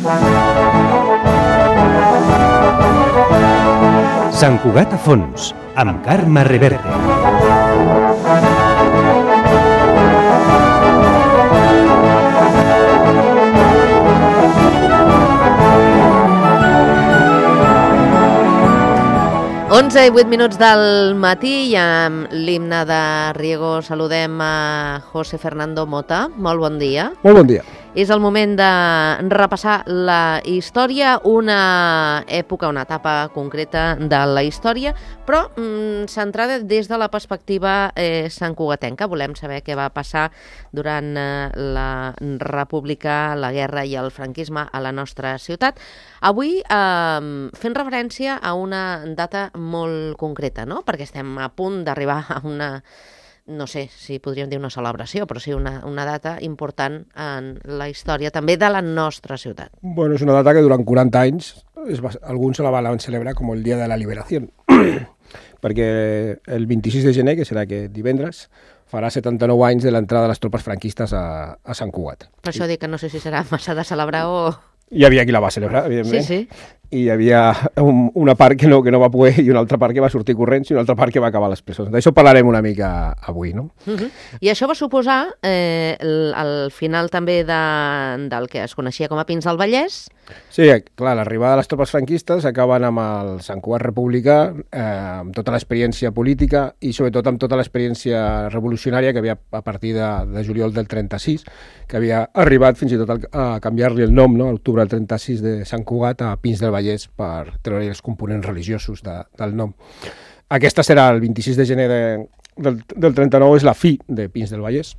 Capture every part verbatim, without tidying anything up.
Sant Cugat a fons, amb Carme Reverte. onze i vuit minuts del matí i amb l'himne de Riego saludem a José Fernando Mota. Molt bon dia. Molt bon dia. És el moment de repassar la història, una època, una etapa concreta de la història, però mm, centrada des de la perspectiva eh, santcugatenca. Volem saber què va passar durant eh, la República, la guerra i el franquisme a la nostra ciutat. Avui eh, fent referència a una data molt concreta, no? Perquè estem a punt d'arribar a una... no sé si podríem dir una celebració, però sí una, una data important en la història també de la nostra ciutat. Bueno, és una data que durant quaranta anys es va, alguns se la van celebrar com el Dia de la Liberació, perquè el vint-i-sis de gener, que serà aquest divendres, farà setanta-nou anys de l'entrada de les tropes franquistes a, a Sant Cugat. Per això dic que no sé si serà massa de celebrar o... Hi havia qui la va celebrar, evidentment. Sí, sí. I hi havia un, una part que no, que no va poder i una altra part que va sortir corrents i una altra part que va acabar a les presons. D'això parlarem una mica avui, no? Uh-huh. I això va suposar eh, el, el final també de, del que es coneixia com a Pins del Vallès. Sí, clar, l'arribada de les tropes franquistes acaben amb el Sant Cugat republicà, eh, amb tota l'experiència política i sobretot amb tota l'experiència revolucionària que havia a partir de, de juliol del trenta-sis, que havia arribat fins i tot a canviar-li el nom, no?, a l'octubre del trenta-sis de Sant Cugat a Pins del Vallès per treure els components religiosos de, del nom. Aquesta serà el vint-i-sis de gener de, del, del trenta-nou, és la fi de Pins del Vallès.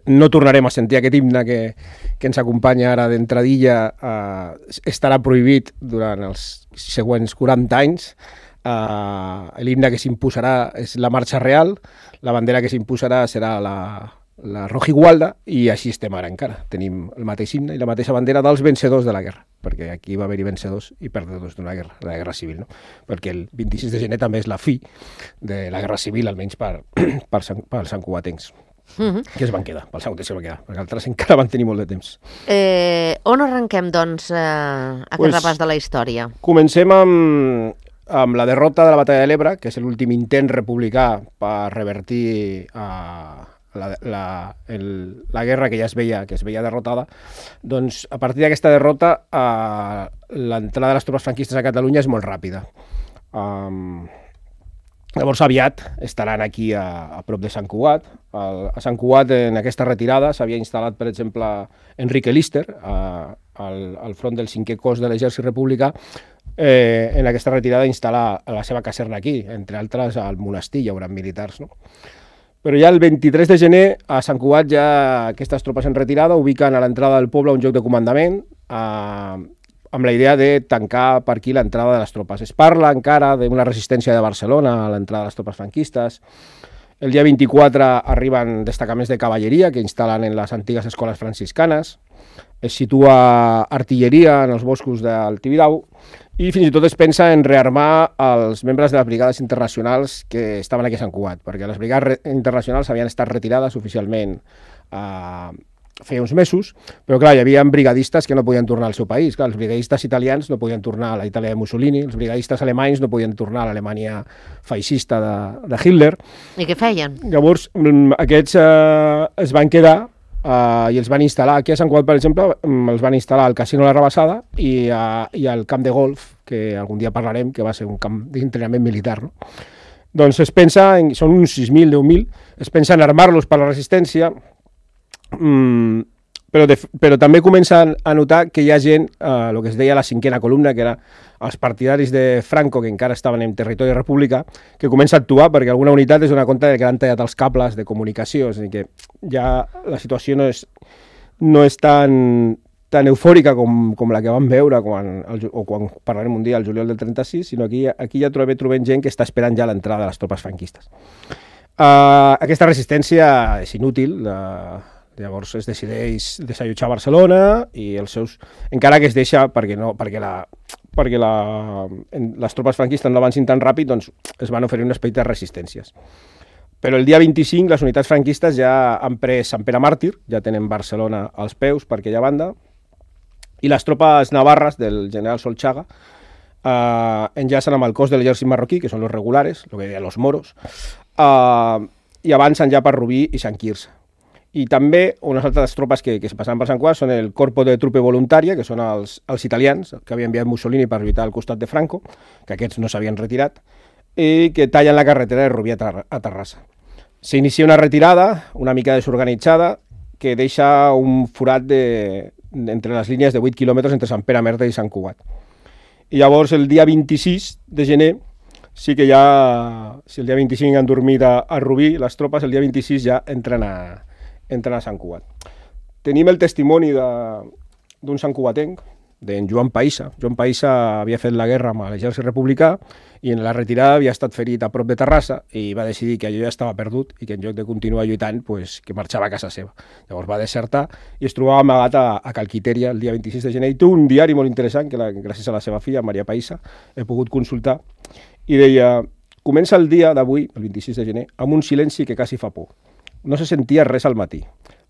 No tornarem a sentir aquest himne que, que ens acompanya ara d'entradilla, eh, estarà prohibit durant els següents quaranta anys. Eh, l'himne que s'imposarà és la marxa real, la bandera que s'imposarà serà la, la rojigualda, i així estem ara encara. Tenim el mateix himne i la mateixa bandera dels vencedors de la guerra, perquè aquí va haver-hi vencedors i perdedors d'una guerra, de la guerra civil, no? Perquè el vint-i-sis de gener també és la fi de la guerra civil, almenys per, per, per, per santcugatencs. Uh-huh. Que es van quedar, pel Sant que es van quedar, perquè altres encara van tenir molt de temps. Eh, on arrenquem, doncs, eh, aquest pues, repàs de la història? Comencem amb, amb la derrota de la Batalla de l'Ebre, que és l'últim intent republicà per revertir uh, la, la, el, la guerra que ja es veia, que es veia derrotada. Doncs, a partir d'aquesta derrota, uh, l'entrada de les tropes franquistes a Catalunya és molt ràpida. Um, Llavors, aviat estaran aquí a, a prop de Sant Cugat. El, a Sant Cugat, en aquesta retirada, s'havia instal·lat, per exemple, Enrique Lister, a, al, al front del cinquè cos de l'exèrcit republicà. Eh, en aquesta retirada instal·lar la seva caserna aquí, entre altres al monestir, hi haurà militars, no? Però ja el vint-i-tres de gener, a Sant Cugat, ja aquestes tropes en retirada ubiquen a l'entrada del poble un lloc de comandament, a amb la idea de tancar per aquí l'entrada de les tropes. Es parla encara d'una resistència de Barcelona a l'entrada de les tropes franquistes. El dia vint-i-quatre arriben destacaments de cavalleria que instal·len en les antigues escoles franciscanes. Es situa artilleria en els boscos del Tibidabo i fins i tot es pensa en rearmar els membres de les brigades internacionals que estaven aquí a Sant Cugat, perquè les brigades internacionals havien estat retirades oficialment a feia uns mesos, però clar, hi havia brigadistes que no podien tornar al seu país. Clar, els brigadistes italians no podien tornar a la Itàlia de Mussolini, els brigadistes alemanys no podien tornar a l'Alemanya feixista de, de Hitler. I què feien? Llavors, aquests eh, es van quedar eh, i els van instal·lar. Aquí a Sant Cugat, per exemple, els van instal·lar al Casino La Rabassada i, a, i al camp de golf, que algun dia parlarem, que va ser un camp d'entrenament militar, no? Doncs es pensa, en, són uns sis mil, deu mil, es pensa en armar-los per la resistència. Mm, però, de, però també comencen a notar que hi ha gent, eh, el que es deia la cinquena columna, que era els partidaris de Franco, que encara estaven en territori republicà, que comença a actuar perquè alguna unitat es dona compte que han tallat els cables de comunicació, és a dir, que ja la situació no és, no és tan, tan eufòrica com, com la que vam veure quan, el, o quan parlarem un dia al juliol del trenta-sis, sinó aquí, aquí ja trobem, trobem gent que està esperant ja l'entrada de les tropes franquistes. Uh, aquesta resistència és inútil, uh, llavors es decideix desallotjar Barcelona i els seus... encara que es deixa perquè, no, perquè, la, perquè la, en, les tropes franquistes no avancin tan ràpid, doncs es van oferir un espai de resistències. Però el dia vint-i-cinc les unitats franquistes ja han pres Sant Pere Màrtir, ja tenen Barcelona als peus per aquella banda, i les tropes navarres del general Solchaga eh, enllacen amb el cos de l'exèrcit marroquí, que són els regulares, el que deien els moros, eh, i avancen ja per Rubí i Sant Quirze. I també unes altres tropes que, que es passaven per Sant Cugat són el Corpo de Trupe Voluntària, que són els, els italians, que havia enviat Mussolini per lluitar al costat de Franco, que aquests no s'havien retirat, i que tallen la carretera de Rubí a, Ter a Terrassa. S'inicia una retirada, una mica desorganitzada, que deixa un forat de, entre les línies de vuit quilòmetres entre Sant Pere Merda i Sant Cugat. I llavors el dia vint-i-sis de gener, sí que ja, si el dia vint-i-cinc han dormit a, a Rubí, les tropes el dia vint-i-sis ja entren a, entren a Sant Cugat. Tenim el testimoni d'un santcugatenc, d'en Joan Païssa. Joan Païssa havia fet la guerra amb l'exèrcit republicà i en la retirada havia estat ferit a prop de Terrassa i va decidir que allò ja estava perdut i que en lloc de continuar lluitant, pues, que marxava a casa seva. Llavors va desertar i es trobava amagat a, a Calquitèria el dia vint-i-sis de gener i té un diari molt interessant que la, gràcies a la seva filla, Maria Païssa, he pogut consultar i deia: comença el dia d'avui, el vint-i-sis de gener, amb un silenci que quasi fa por. No se sentia res al matí.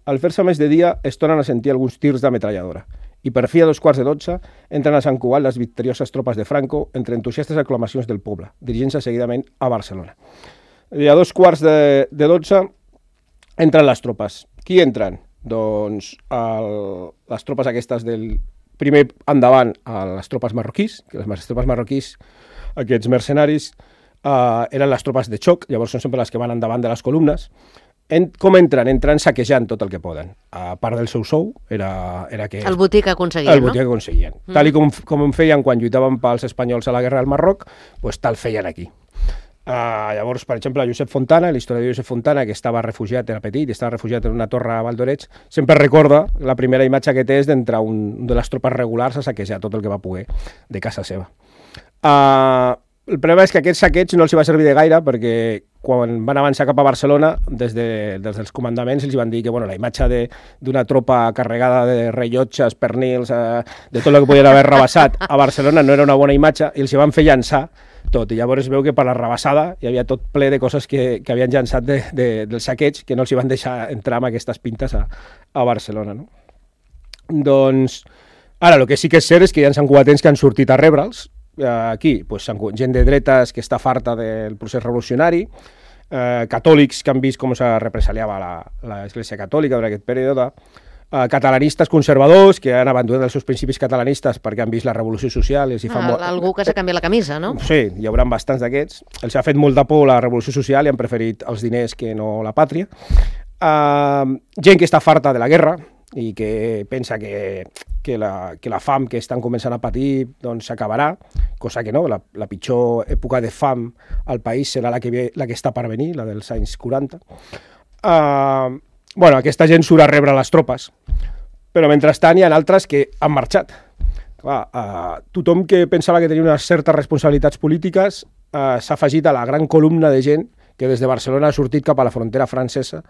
Al fer-se més de dia es tornen a sentir alguns tirs d'ametralladora. I per fi a dos quarts de dotze entren a Sant Cugat les victorioses tropes de Franco entre entusiastes aclamacions del poble, dirigint-se seguidament a Barcelona. I a dos quarts de, de dotze entren les tropes. Qui entren? Doncs el, les tropes aquestes del primer endavant a les tropes marroquís, que les tropes marroquís, aquests mercenaris, eh, eren les tropes de xoc, llavors són sempre les que van endavant de les columnes. En, com entren? Entren saquejant tot el que poden. A part del seu sou, era, era que... El botí que aconseguien, el no? El botí que aconseguien. Mm. Tal i com, com feien quan lluitaven pels espanyols a la guerra del Marroc, pues tal feien aquí. Uh, llavors, per exemple, Josep Fontana, l'historiador Josep Fontana, que estava refugiat, era petit, i estava refugiat en una torre a Valdoreig, sempre recorda la primera imatge que té és d'entrar un de les tropes regulars a saquejar tot el que va poder de casa seva. Uh, el problema és que aquest saqueig no els va servir de gaire perquè quan van avançar cap a Barcelona, des, de, des dels comandaments els van dir que bueno, la imatge d'una tropa carregada de rellotges, pernils, eh, de tot el que podien haver rebassat a Barcelona no era una bona imatge i els van fer llançar tot. I llavors es veu que per la rebassada hi havia tot ple de coses que, que havien llançat de, de, del saqueig que no els hi van deixar entrar amb aquestes pintes a, a Barcelona. No? Doncs, ara, el que sí que és cert és que hi ha santcugatens que han sortit a rebre'ls. Aquí, pues, gent de dretes que està farta del procés revolucionari, eh, catòlics que han vist com se represaliava l'Església Catòlica durant aquest període, eh, catalanistes conservadors que han abandonat els seus principis catalanistes perquè han vist la revolució social. I els hi fa ah, molt... Algú que s'ha canviat la camisa, no? Sí, hi haurà bastants d'aquests. Els ha fet molt de por la revolució social i han preferit els diners que no la pàtria. Eh, gent que està farta de la guerra i que pensa que, que, la, que la fam que estan començant a patir doncs s'acabarà, cosa que no, la, la pitjor època de fam al país serà la que, ve, la que està per venir, la dels anys quaranta. Uh, bueno, aquesta gent surt a rebre les tropes, però mentrestant hi ha altres que han marxat. Clar, uh, tothom que pensava que tenia unes certes responsabilitats polítiques uh, s'ha afegit a la gran columna de gent que des de Barcelona ha sortit cap a la frontera francesa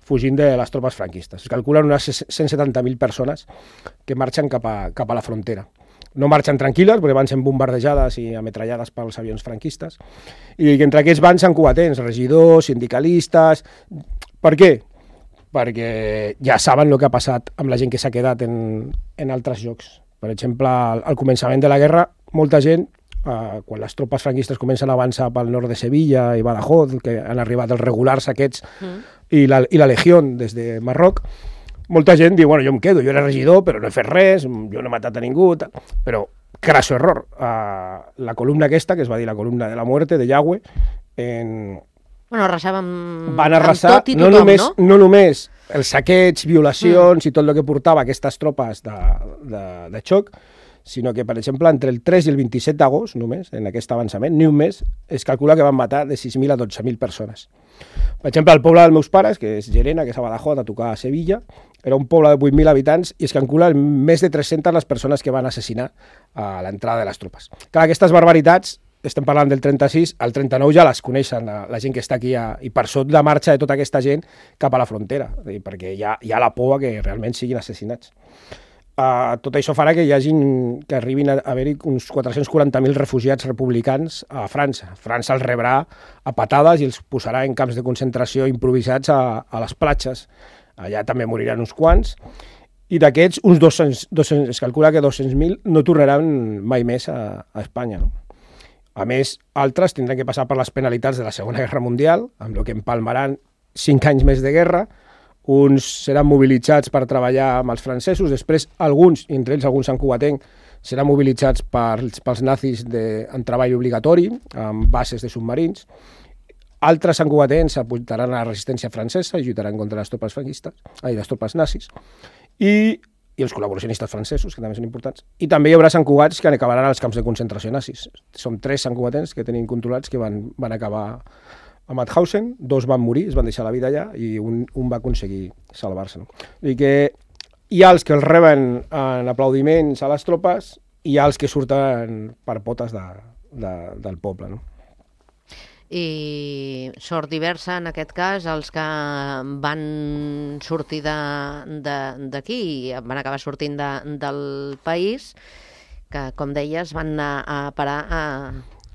fugint de les tropes franquistes. Es calculen unes cent setanta mil persones que marxen cap a, cap a la frontera. No marxen tranquil·les, perquè van sent bombardejades i ametrallades pels avions franquistes, i que entre aquests van santcugatens, regidors, sindicalistes... Per què? Perquè ja saben el que ha passat amb la gent que s'ha quedat en, en altres llocs. Per exemple, al, al començament de la guerra, molta gent, Uh, quan les tropes franquistes comencen a avançar pel nord de Sevilla i Badajoz, que han arribat els regulars aquests, mm. i, la, i la Legió des de Marroc, molta gent diu, bueno, jo em quedo, jo era regidor, però no he fet res, jo no he matat a ningú, tal. Però, crasso error, uh, la columna aquesta, que es va dir la columna de la muerte, de Yagüe, en... Bueno, arrasaven van arrasar, amb tot i tothom, no només, no? No només els saqueig, violacions mm. i tot el que portava aquestes tropes de, de, de xoc, sinó que, per exemple, entre el tres i el vint-i-set d'agost, només, en aquest avançament, ni un mes, es calcula que van matar de sis mil a dotze mil persones. Per exemple, el poble dels meus pares, que és Llerena, que és a Badajoz, a tocar a Sevilla, era un poble de vuit mil habitants i es calcula més de tres-centes les persones que van assassinar a l'entrada de les tropes. Clar, aquestes barbaritats, estem parlant del trenta-sis, al trenta-nou ja les coneixen la, la gent que està aquí a, i per sota la marxa de tota aquesta gent cap a la frontera, perquè hi ha, hi ha la por que realment siguin assassinats. Uh, tot això farà que hi hagin, que arribin a haver-hi uns quatre-cents quaranta mil refugiats republicans a França. França els rebrà a patades i els posarà en camps de concentració improvisats a, a les platges. Allà també moriran uns quants. i d'aquests, uns dos-cents, dos-cents, es calcula que dos-cents mil no tornaran mai més a, a Espanya. No? A més, altres tindran que passar per les penalitats de la Segona Guerra Mundial, amb el que empalmaran cinc anys més de guerra. Uns seran mobilitzats per treballar amb els francesos, després alguns, entre ells alguns santcugatencs, seran mobilitzats pels, pels nazis de, en treball obligatori, amb bases de submarins. Altres santcugatencs s'apuntaran a la resistència francesa i lluitaran contra les tropes franquistes, ai, les tropes nazis, i, i els col·laboracionistes francesos, que també són importants. I també hi haurà santcugats que acabaran als camps de concentració nazis. Som tres santcugatencs que tenim controlats que van, van acabar a Mauthausen, dos van morir, es van deixar la vida allà, i un, un va aconseguir salvar-se. No? I que hi ha els que els reben en aplaudiments a les tropes i hi ha els que surten per potes de, de, del poble. No? I sort diversa, en aquest cas, els que van sortir d'aquí i van acabar sortint de, del país, que, com deies, van anar a parar a...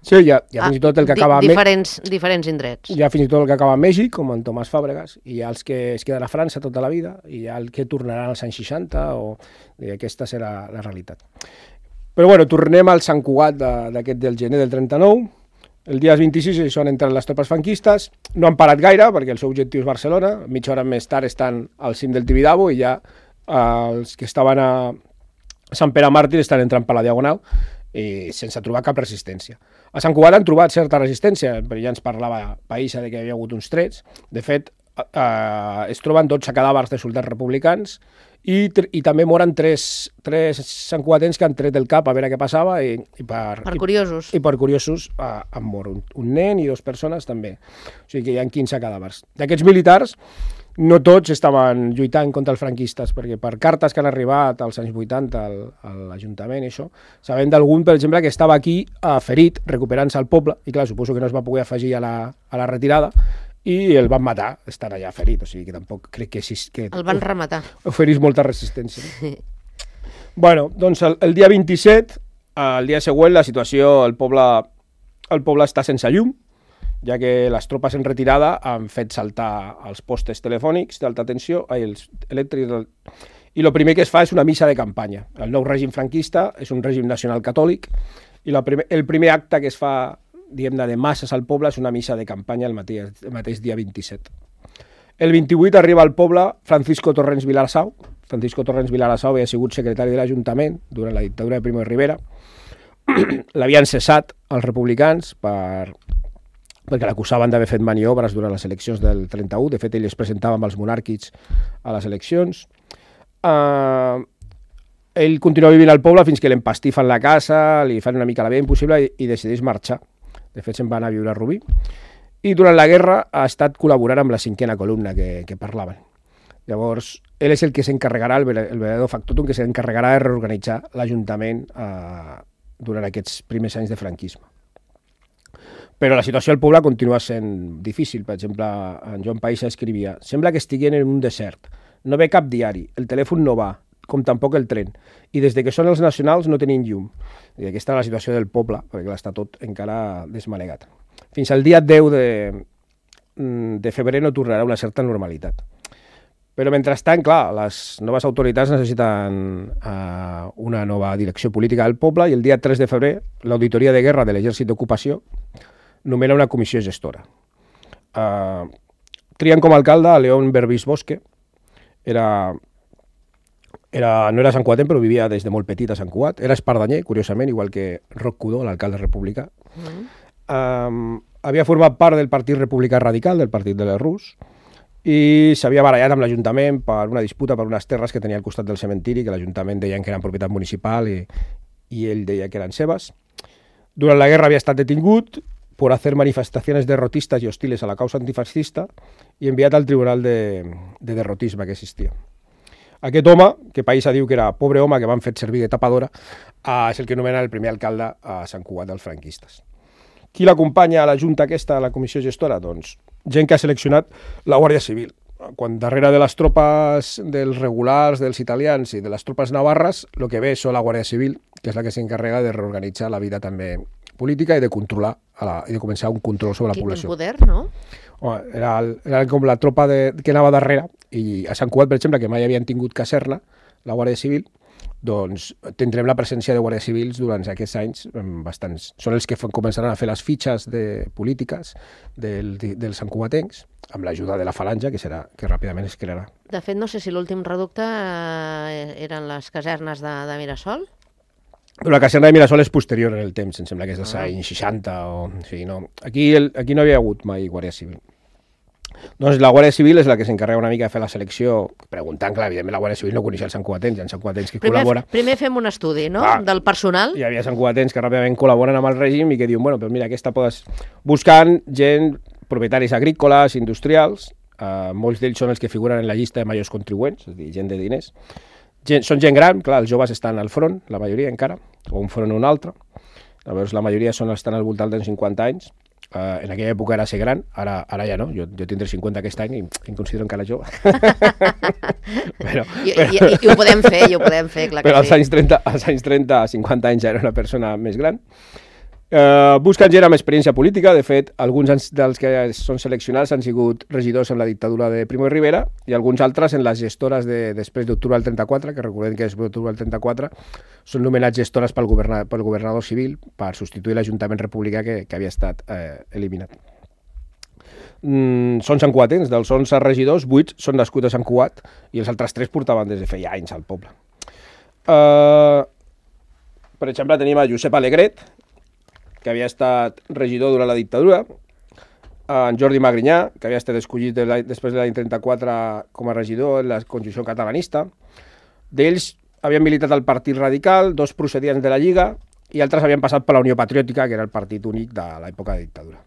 Sí, hi ha, hi ha fins i tot el que acaba... Di, diferents, diferents indrets. Hi ha fins i tot el que acaba a Mèxic, com en Tomàs Fàbregas, i hi ha els que es queden a França tota la vida, i hi ha el que tornaran als anys seixanta, o... i aquesta serà la realitat. Però bueno, tornem al Sant Cugat d'aquest del gener del trenta-nou. El dia vint-i-sis són entren les tropes franquistes, no han parat gaire, perquè el seu objectiu és Barcelona, mitja hora més tard estan al cim del Tibidabo, i ja eh, els que estaven a Sant Pere Màrtir estan entrant per la Diagonal, i sense trobar cap resistència. A Sant Cugat han trobat certa resistència, però ja ens parlava Païssa de que hi havia hagut uns trets. De fet, eh, es troben dotze cadàvers de soldats republicans i, i també moren tres, tres santcugatens que han tret el cap a veure què passava i, i per, per curiosos. I, i per curiosos eh, han mort un, un nen i dues persones també. O sigui que hi ha quinze cadàvers. D'aquests militars, no tots estaven lluitant contra els franquistes, perquè per cartes que han arribat als anys vuitanta al, a l'Ajuntament, això, sabem d'algun, per exemple, que estava aquí eh, ferit, recuperant-se al poble, i clar, suposo que no es va poder afegir a la, a la retirada, i el van matar, estant allà ferit, o sigui que tampoc crec que... Si, que el van rematar. Oferís molta resistència. No? Bueno, doncs el, el dia vint-i-set, el dia següent, la situació, el poble, el poble està sense llum, ja que les tropes en retirada han fet saltar els postes telefònics d'alta tensió, ai, els elèctrics, i el primer que es fa és una missa de campanya. El nou règim franquista és un règim nacional catòlic, i la primer, el primer acte que es fa, diguem-ne, de masses al poble és una missa de campanya el mateix, el mateix dia vint-i-set. El vint-i-vuit arriba al poble Francisco Torrens Vilarasau. Francisco Torrens Vilarasau havia sigut secretari de l'Ajuntament durant la dictadura de Primo de Rivera. L'havien cessat els republicans per... perquè l'acusaven d'haver fet maniobres durant les eleccions del trenta-u. De fet, ell es presentava amb els monàrquics a les eleccions. Uh, ell continua vivint al poble fins que l'empastifen la casa, li fan una mica la vida impossible i, i decideix marxar. De fet, se'n va anar a viure a Rubí. I durant la guerra ha estat col·laborant amb la cinquena columna que, que parlaven. Llavors, ell és el que s'encarregarà, el, el veredor factotum, que s'encarregarà de reorganitzar l'Ajuntament uh, durant aquests primers anys de franquisme. Però la situació al poble continua sent difícil. Per exemple, en Joan Païssa escrivia: sembla que estiguin en un desert. No ve cap diari, el telèfon no va, com tampoc el tren. I des de que són els nacionals no tenim llum. I aquesta és la situació del poble, perquè està tot encara desmanegat. Fins al dia deu de, de febrer no tornarà una certa normalitat. Però mentrestant, clar, les noves autoritats necessiten uh, una nova direcció política del poble, i el dia tres de febrer l'Auditoria de Guerra de l'Exèrcit d'Ocupació nomena una comissió gestora. Uh, trien com a alcalde a León Berbis Bosque. Era, era, no era santcugatenc, però vivia des de molt petit a Sant Cugat. Era espardanyer, curiosament, igual que Roc Cudó, l'alcalde republicà. Mm. Um, havia format part del Partit Republicà Radical, del Partit de l'Errús, i s'havia barallat amb l'Ajuntament per una disputa per unes terres que tenia al costat del cementiri, que l'Ajuntament deien que eren propietat municipal i, i ell deia que eren seves. Durant la guerra havia estat detingut por hacer manifestaciones derrotistas y hostiles a la causa antifascista i enviat al tribunal de, de derrotisme que existia. Aquest home, que Païssa diu que era pobre home que van fet servir de tapadora, eh, és el que anomena el primer alcalde a Sant Cugat dels franquistes. Qui l'acompanya a la junta aquesta, a la comissió gestora? Doncs gent que ha seleccionat la Guàrdia Civil. Quan darrere de les tropes dels regulars, dels italians i de les tropes navarres, el que ve és la Guàrdia Civil, que és la que s'encarrega de reorganitzar la vida també política i de controlar a la, i de començar un control sobre la població. Quin poder, no? Home, era, el, era com la tropa de, que anava darrere, i a Sant Cugat, per exemple, que mai havien tingut caserna, la Guàrdia Civil, doncs tindrem la presència de guàrdies civils durant aquests anys bastants. Són els que començaran a fer les fitxes de polítiques del, dels santcugatencs, amb l'ajuda de la falange, que serà que ràpidament es crearà. De fet, no sé si l'últim reducte eh, eren les casernes de, de Mirasol? Però la caserna de Mirasol és posterior en el temps, em sembla que és dels ah. anys seixanta. O, o sigui, no. Aquí, el, aquí no havia hagut mai guàrdia civil. Doncs la Guàrdia Civil és la que s'encarrega una mica de fer la selecció, preguntant, clar, evidentment la Guàrdia Civil no coneixia els santcugatens, hi ha santcugatens que primer, col·laboren. Primer fem un estudi, no?, ah, del personal. Hi havia santcugatens que ràpidament col·laboren amb el règim i que diuen, bueno, però mira, aquesta podes... Buscant gent, propietaris agrícoles, industrials, eh, molts d'ells són els que figuren en la llista de majors contribuents, és a dir, gent de diners. Gent, són gent gran, clar, els joves estan al front, la majoria encara, o un front o un altre. Llavors la majoria són, estan al voltant dels cinquanta anys. Uh, en aquella època era ser gran, ara, ara ja no, jo, jo tindré cinquanta aquest any i em considero encara jove. però, I, però... I, i, I ho podem fer, i ho podem fer, clar que però als sí. anys trenta, als anys trenta, cinquanta anys ja era una persona més gran. Uh, busquen gent amb experiència política, de fet, alguns dels que són seleccionats han sigut regidors en la dictadura de Primo de Rivera i alguns altres en les gestores de, després d'octubre del trenta-quatre, que recordem que després d'octubre del trenta-quatre són nomenats gestores pel, governa, pel governador civil per substituir l'Ajuntament republicà que, que havia estat eh, eliminat. Mm, són santcugatens, dels onze regidors, vuit són nascuts a Sant Cugat i els altres tres portaven des de feia anys al poble. Uh, per exemple, tenim a Josep Alegret, que havia estat regidor durant la dictadura, en Jordi Magrinyà, que havia estat escollit de després de l'any trenta-quatre com a regidor en la Conjunció Catalanista. D'ells havien militat al Partit Radical, dos procedien de la Lliga i altres havien passat per la Unió Patriòtica, que era el partit únic de l'època de dictadura.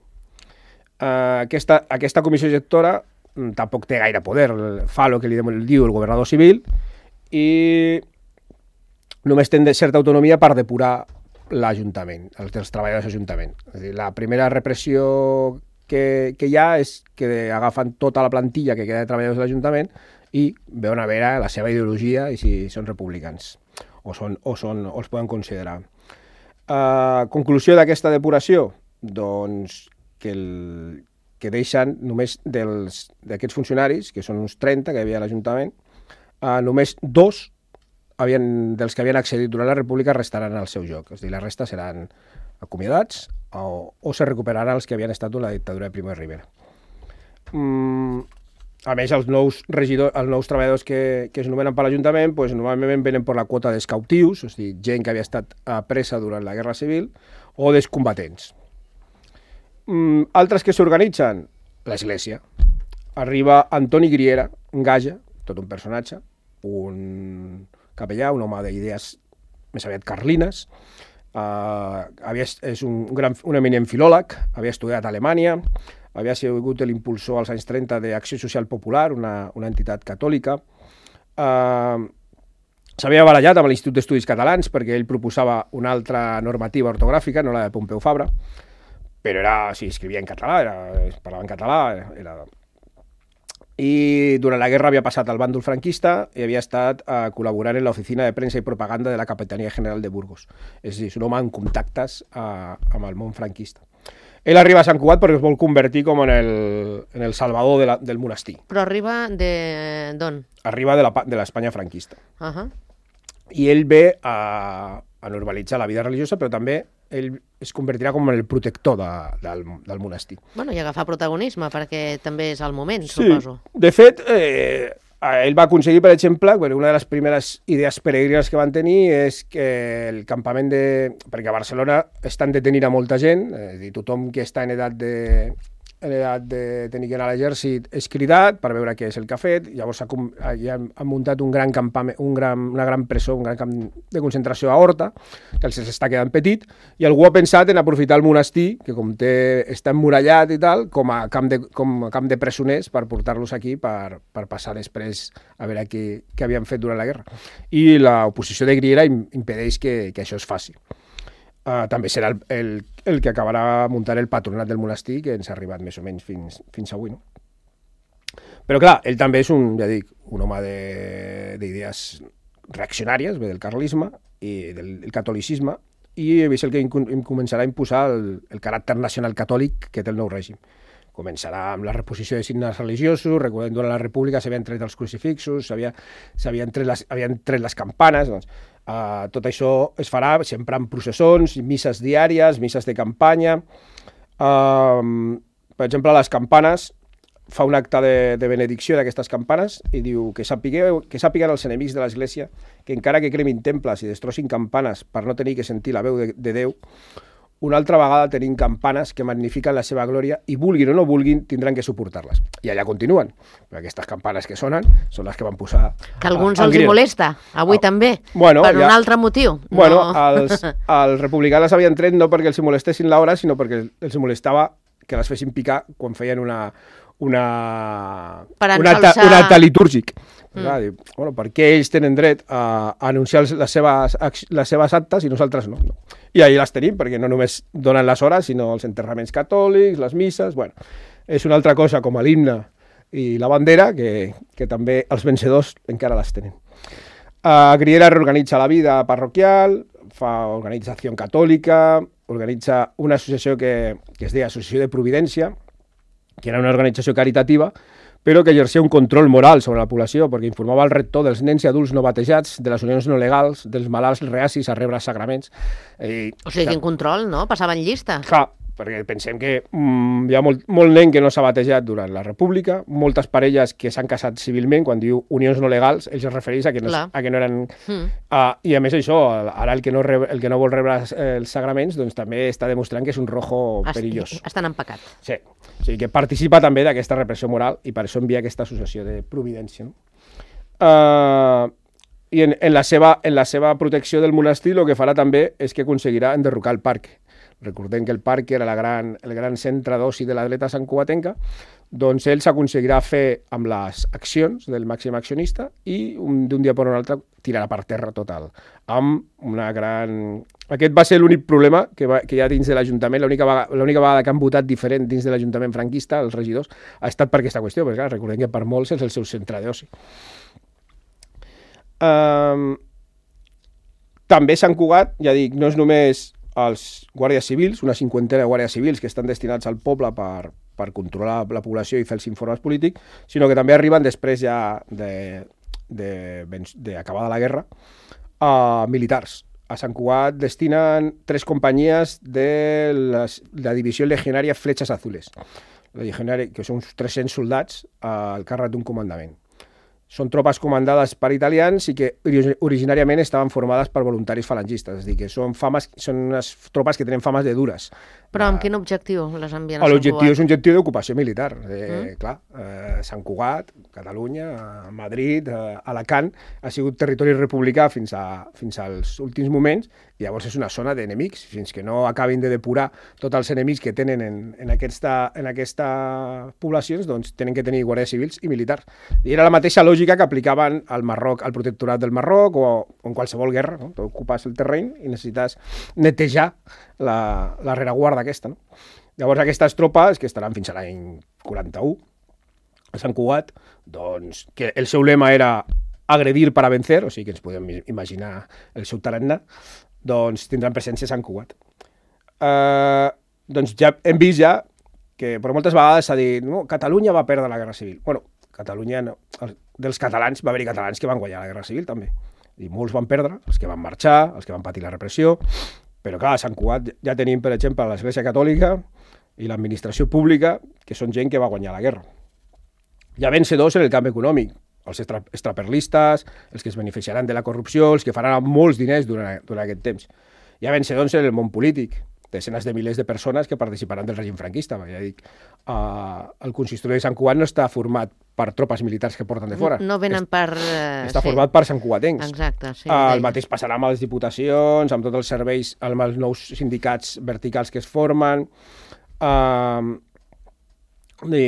Aquesta, aquesta comissió gestora tampoc té gaire poder, fa el que li diu el governador civil i només té certa autonomia per depurar l'Ajuntament, els, els treballadors de l'Ajuntament. És a dir, la primera repressió que, que hi ha és que agafen tota la plantilla que queda de treballadors de l'Ajuntament i veuen a veure la seva ideologia i si són republicans o, són, o, són, o els poden considerar. Uh, conclusió d'aquesta depuració? Doncs que, el, que deixen només d'aquests funcionaris, que són uns trenta que hi havia a l'Ajuntament, uh, només dos havien, dels que havien accedit durant la República restaran al seu lloc. És a dir, la resta seran acomiadats o, o se recuperaran els que havien estat durant la dictadura de Primo de Rivera. Mm, a més, els nous, regidors, els nous treballadors que, que es nomenen per l'Ajuntament pues, normalment venen per la quota dels cautius, és a dir, gent que havia estat presa durant la Guerra Civil, o dels combatents. Mm, altres que s'organitzen? L'Església. Arriba Antoni Griera, un gaja, tot un personatge, un capellà, un home d'idees més aviat carlines, uh, havia, és un, gran, un eminent filòleg, havia estudiat a Alemanya, havia sigut l'impulsor als anys trenta d'Acció Social Popular, una, una entitat catòlica. Uh, S'havia barallat amb l'Institut d'Estudis Catalans perquè ell proposava una altra normativa ortogràfica, no la de Pompeu Fabra, però era, sí, escrivia en català, era, parlava en català, era... era i durant la guerra havia passat al bàndol franquista i havia estat uh, col·laborant en l'oficina de premsa i propaganda de la Capitania General de Burgos. És a dir, és un home amb contactes uh, amb el món franquista. Ell arriba a Sant Cugat perquè es vol convertir com en el, en el salvador de la, del monestir. Però arriba d'on? Arriba de l'Espanya franquista. Uh -huh. I ell ve a, a normalitzar la vida religiosa, però també ell es convertirà com en el protector de, del, del monestir. Bueno, i agafar protagonisme, perquè també és el moment, sí. Suposo. De fet, eh, ell va aconseguir, per exemple, una de les primeres idees peregrines que van tenir és que el campament de... Perquè a Barcelona estan detenint a molta gent, és a dir, tothom que està en edat de... en edat de tenir que anar a l'exèrcit és cridat per veure què és el que ha fet, llavors ha, ja han muntat un gran campament, un gran, una gran presó, un gran camp de concentració a Horta, que els està quedant petit, i algú ha pensat en aprofitar el monestir, que com té, està emmurallat i tal, com a camp de, com a camp de presoners per portar-los aquí per, per passar després a veure què, què havien fet durant la guerra. I l'oposició de Griera impedeix que, que això es faci. Uh, també serà el, el, el que acabarà muntant el patronat del monestir, que ens ha arribat més o menys fins, fins avui. No? Però clar, ell també és un, ja dic, un home d'idees reaccionàries, ve del carlisme i del, del catolicisme, i és el que començarà a imposar el, el caràcter nacional catòlic que té el nou règim. Començarà amb la reposició de signes religiosos, recordem durant la República s'havien tret els crucifixos, s'havien tret, les, tret les campanes, doncs, uh, tot això es farà sempre en processons, misses diàries, misses de campanya. Uh, per exemple, les campanes, fa un acte de, de benedicció d'aquestes campanes i diu que, sapigueu, que sàpiguen els enemics de l'Església que encara que cremin temples i destrossin campanes per no tenir que sentir la veu de, de Déu, una altra vegada tenim campanes que magnifiquen la seva glòria i vulguin o no vulguin tindran que suportar-les. I allà continuen. Però aquestes campanes que sonen són les que van posar... Que alguns els hi molesta, avui ah, també, bueno, per ja, un altre motiu. Bueno, no. els, els republicans les havien tret no perquè els molestessin l'hora, sinó perquè els molestava que les fessin picar quan feien una... una, un, acte, un acte litúrgic. Mm. Clar, diu, bueno, per què ells tenen dret a, a anunciar les seves, les seves actes i nosaltres no, no? I ahí les tenim, perquè no només donen les hores, sinó els enterraments catòlics, les misses... Bueno, és una altra cosa com l'himne i la bandera, que, que també els vencedors encara les tenen. Uh, Griera reorganitza la vida parroquial, fa organització catòlica, organitza una associació que, que es deia Associació de Providència, que era una organització caritativa, però que exercia un control moral sobre la població, perquè informava el rector dels nens i adults no batejats, de les unions no legals, dels malalts reacis a rebre sagraments. I, o sigui, quin control, no? Passaven llista. Clar, perquè pensem que mm, hi ha molt, molt nen que no s'ha batejat durant la República, moltes parelles que s'han casat civilment, quan diu unions no legals, ells es refereix a que no, a que no eren... Mm. Uh, I a més això, ara el que no, rebre, el que no vol rebre els sagraments, doncs també està demostrant que és un rojo Est perillós. Estan en pecat. Sí, o sigui que participa també d'aquesta repressió moral i per això envia aquesta associació de Providència. No? Uh, I en, en, la seva, en la seva protecció del monestir el que farà també és que aconseguirà enderrocar el parc. Recordem que el parc era la gran, el gran centre d'oci de l'atleta santcugatenca, doncs ell s'aconseguirà fer amb les accions del màxim accionista i d'un dia per un altre tirarà per terra total. Amb una gran... Aquest va ser l'únic problema que, va, que hi ha dins de l'Ajuntament, l'única vegada que han votat diferent dins de l'Ajuntament franquista, els regidors, ha estat per aquesta qüestió, perquè clar, recordem que per molts és el seu centre d'oci. Um, també Sant Cugat, ja dic, no és només els guàrdies civils, una cinquantena de guàrdies civils que estan destinats al poble per, per controlar la població i fer els informes polítics, sinó que també arriben després ja d'acabada la guerra a militars. A Sant Cugat destinen tres companyies de les, la divisió legionària Fletxes Azules, la legionària, que són uns tres-cents soldats al càrrec d'un comandament. Són tropes comandades per italians i que originàriament estaven formades per voluntaris falangistes, és a dir, que són, fames, són unes tropes que tenen fames de dures. Però amb quin objectiu les envien a Sant Cugat? L'objectiu és un objectiu d'ocupació militar. Eh, mm. Clar, eh, Sant Cugat, Catalunya, Madrid, eh, Alacant, ha sigut territori republicà fins, a, fins als últims moments, i llavors és una zona d'enemics, fins que no acabin de depurar tots els enemics que tenen en, en, aquesta, en aquesta poblacions, doncs tenen que tenir guàrdies civils i militars. I era la mateixa lògica que aplicaven al Marroc, al protectorat del Marroc o, o en qualsevol guerra, no? Tu ocupes el terreny i necessites netejar la, la rereguarda aquesta. No? Llavors aquestes tropes, que estaran fins a l'any quaranta-u, a Sant Cugat, doncs, que el seu lema era agredir para vencer, o sigui que ens podem imaginar el seu tarannà, doncs tindran presència a Sant Cugat. Uh, doncs ja hem vist ja que per moltes vegades s'ha dit no, Catalunya va perdre la Guerra Civil. Bueno, Catalunya no. Dels catalans va haver-hi catalans que van guanyar la Guerra Civil també. I molts van perdre, els que van marxar, els que van patir la repressió, però clar, a Sant Cugat ja tenim, per exemple, l'Església Catòlica i l'administració pública, que són gent que va guanyar la guerra. Hi ha vencedors en el camp econòmic, els extra, extraperlistes, els que es beneficiaran de la corrupció, els que faran molts diners durant, durant aquest temps. Hi ha vencedors en el món polític, desenes de milers de persones que participaran del règim franquista. Ja dic, uh, el consistori de Sant Cugat no està format per tropes militars que porten de fora. No venen per... Uh, està sí. format per santcugatencs. Exacte, sí. Uh, el mateix passarà amb les diputacions, amb tots els serveis, amb els nous sindicats verticals que es formen. Uh, i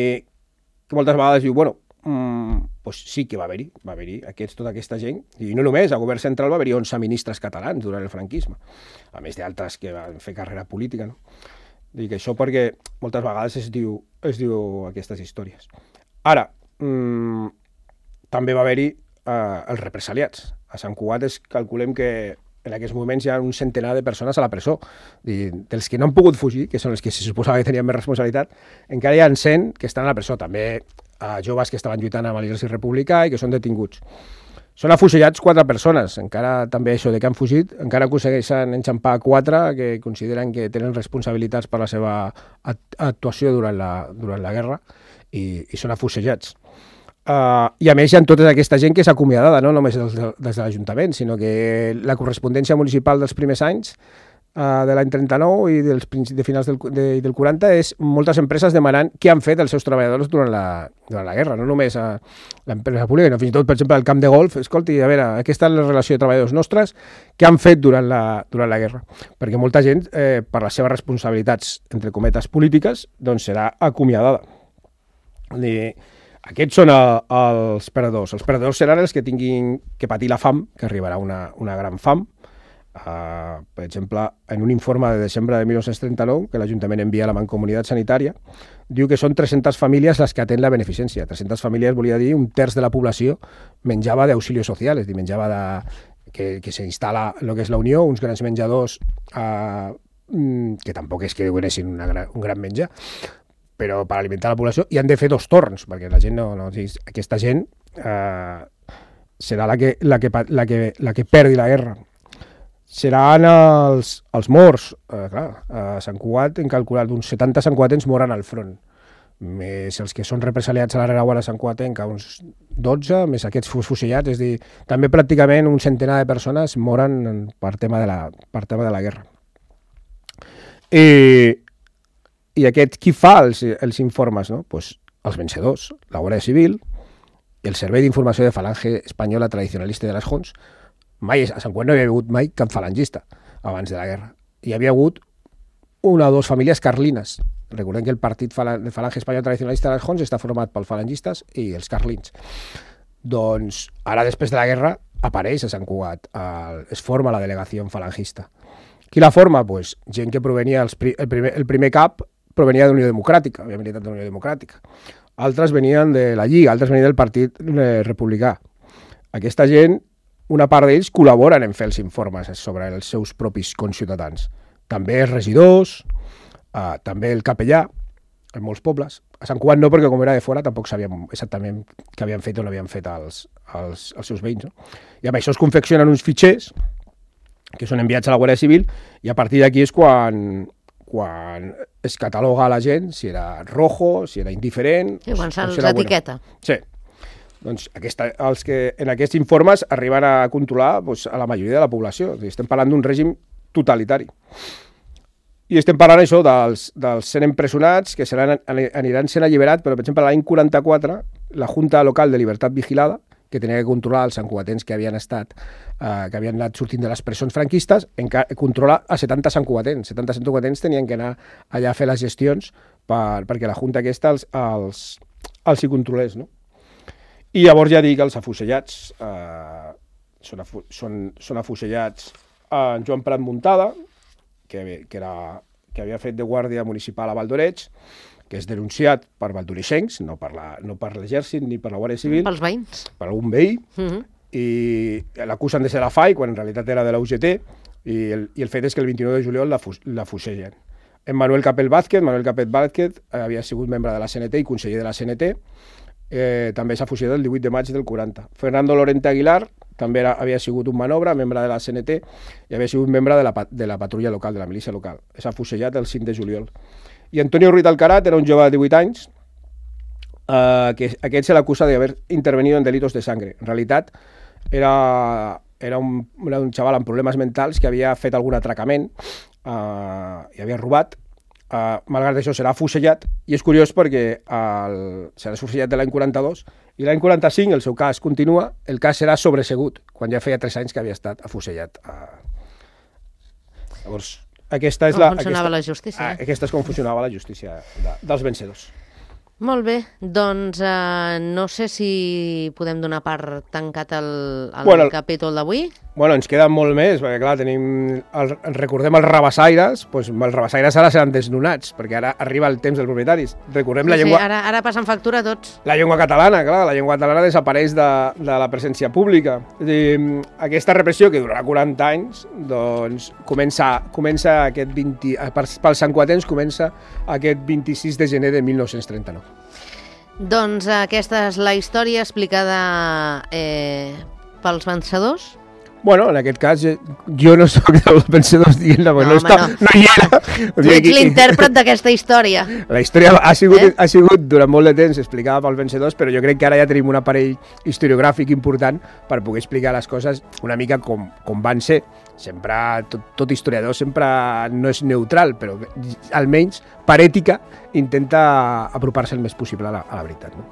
que moltes vegades diu, bueno, um, pues sí que va haver-hi, va haver-hi aquests, tota aquesta gent, i no només, al govern central va haver-hi onze ministres catalans durant el franquisme, a més d'altres que van fer carrera política, no? Dic això perquè moltes vegades es diu, es diu aquestes històries. Ara, mm, també va haver-hi eh, els represaliats. A Sant Cugat es calculem que en aquests moments hi ha un centenar de persones a la presó. I dels que no han pogut fugir, que són els que se suposava que tenien més responsabilitat, encara hi ha cent que estan a la presó. També a joves que estaven lluitant amb l'exèrcit republicà i que són detinguts. Són afusellats quatre persones, encara també això de que han fugit, encara aconsegueixen enxampar quatre que consideren que tenen responsabilitats per la seva actuació durant la, durant la guerra i, i són afusellats. Uh, I a més hi ha tota aquesta gent que és acomiadada, no només des, des de l'Ajuntament, sinó que la correspondència municipal dels primers anys uh, de l'any trenta-nou i dels de finals del, de, del quaranta és moltes empreses demanant què han fet els seus treballadors durant la, durant la guerra, no només a l'empresa pública, sinó fins i tot, per exemple, al camp de golf. Escolti, a veure, aquesta és la relació de treballadors nostres, què han fet durant la, durant la guerra? Perquè molta gent, eh, per les seves responsabilitats, entre cometes, polítiques, doncs serà acomiadada. I aquests són a, els perdedors. Els perdedors seran els que tinguin que patir la fam, que arribarà una, una gran fam. Uh, per exemple, en un informe de desembre de mil nou-cents trenta-nou, que l'Ajuntament envia a la Mancomunitat Sanitària, diu que són tres-centes famílies les que atén la beneficència. tres-centes famílies volia dir un terç de la població menjava d'auxilios socials, és a dir, menjava de, que, que s'instal·la el que és la Unió, uns grans menjadors uh, que tampoc és que donessin una gran, un gran menjar, però per alimentar la població, i han de fer dos torns, perquè la gent no... no aquesta gent eh, serà la que, la, que, la, que, la que perdi la guerra. Seran els, els morts. Eh, clar, a Sant Cugat hem calculat uns setanta santcugatens moren al front, més els que són represaliats a la rereguarda santcugatenca, uns dotze, més aquests fusillats, és a dir, també pràcticament un centenar de persones moren per tema de la, per tema de la guerra. I... I aquest, qui fa els, els informes? No? Pues els vencedors, la Guàrdia Civil, el Servei d'Informació de Falange Espanyola Tradicionalista de les Jons. Mai, a Sant Cugat no hi havia hagut mai cap falangista abans de la guerra. Hi havia hagut una o dues famílies carlines. Recordem que el Partit de Falange Espanyola Tradicionalista de les Jons està format pels falangistes i els carlins. Doncs ara, després de la guerra, apareix a Sant Cugat, el, es forma la delegació falangista. Qui la forma? Pues, gent que provenia, els, el, primer, el primer cap provenia de l'Unió Democràtica, havia militat de l'Unió Democràtica. Altres venien de la Lliga, altres venien del Partit Republicà. Aquesta gent, una part d'ells col·laboren en fer els informes sobre els seus propis conciutadans. També els regidors, eh, també el capellà, en molts pobles. A Sant Cugat no, perquè com era de fora tampoc sabíem exactament què havien fet o no havien fet els, els, els seus veïns. No? I amb això es confeccionen uns fitxers que són enviats a la Guàrdia Civil i a partir d'aquí és quan... quan es cataloga a la gent si era rojo, si era indiferent... Sí, quan se'ls si etiqueta. Bueno. Sí. Doncs aquesta, els que en aquests informes arriben a controlar doncs, a la majoria de la població. Estem parlant d'un règim totalitari. I estem parlant això dels, dels cent empresonats que seran, aniran sent alliberats, però per exemple l'any quaranta-quatre la Junta Local de Libertat Vigilada, que tenia que controlar els santcugatens que havien estat eh, que havien anat sortint de les presons franquistes, controlar a setanta santcugatens. setanta santcugatens tenien que anar allà a fer les gestions per, perquè la Junta aquesta els, els, els hi controlés. No? I llavors ja dic que els afusellats eh, són, afu són, són afusellats en Joan Prat Muntada, que, que, era, que havia fet de guàrdia municipal a Valdoreig, que és denunciat per valdoreixencs, no per la, no per l'exèrcit ni per la Guàrdia Civil. Pels veïns. Per algun veí. Uh -huh. I l'acusen de ser la F A I, quan en realitat era de la U G T, i el, i el fet és que el vint-i-nou de juliol la, la fusellen. En Manuel Capet Vázquez, Manuel Capet Vázquez eh, havia sigut membre de la C N T i conseller de la C N T, eh, també s'ha fusellat el divuit de maig del quaranta. Fernando Lorente Aguilar també era, havia sigut un manobre, membre de la C N T, i havia sigut membre de la, de la patrulla local, de la milícia local. S'ha fusellat el cinc de juliol. I Antonio Ruiz Alcarat era un jove de divuit anys, eh, que aquest se l'acusa d'haver intervenido en delitos de sangre. En realitat, era, era, un, era un xaval amb problemes mentals que havia fet algun atracament eh, i havia robat. Eh, malgrat això serà afusellat, i és curiós perquè el, serà afusellat de l'any quaranta-dos, i l'any quaranta-cinc el seu cas continua, el cas serà sobresegut, quan ja feia tres anys que havia estat afusellat. Eh, llavors, Aquesta és com la, funcionava aquesta, la justícia. Ah, aquesta és com funcionava la justícia de, dels vencedors. Molt bé, doncs eh, no sé si podem donar per tancat el, el bueno, capítol d'avui. Bueno, ens queden molt més, perquè clar, tenim el, recordem els rabassaires, doncs els rabassaires ara seran desnonats, perquè ara arriba el temps dels propietaris. Recordem sí, la llengua... Sí, ara, ara passen factura tots. La llengua catalana, clar, la llengua catalana desapareix de, de la presència pública. És dir, aquesta repressió, que durarà quaranta anys, doncs comença, comença aquest vint... Pels santcugatencs comença aquest vint-i-sis de gener de mil nou-cents trenta-nou. Doncs aquesta és la història explicada eh, pels vencedors. Bueno, en aquest cas, jo no soc dels vencedors dient-la, perquè no, no, està, no. no hi era. Tu ets l'intèrpret d'aquesta història. La història ha sigut, eh? ha sigut durant molt de temps explicada pels vencedors, però jo crec que ara ja tenim un aparell historiogràfic important per poder explicar les coses una mica com, com van ser. Sempre, tot, tot historiador sempre no és neutral, però almenys per ètica intenta apropar-se el més possible a la, a la veritat. No?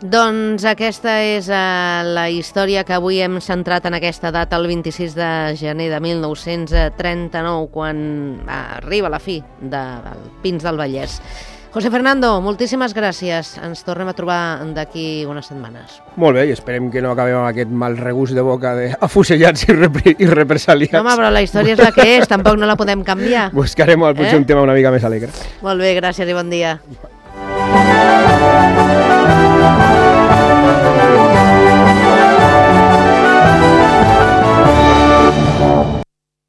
Doncs aquesta és uh, la història que avui hem centrat en aquesta data, el vint-i-sis de gener de mil nou-cents trenta-nou, quan uh, arriba la fi de, del Pins del Vallès. José Fernando, moltíssimes gràcies. Ens tornem a trobar d'aquí unes setmanes. Molt bé, i esperem que no acabem amb aquest mal regust de boca d'afusellats i, repre i represaliats. No, home, però la història és la que és, tampoc no la podem canviar. Buscarem potser eh? un tema una mica més alegre. Molt bé, gràcies i bon dia. Thank you.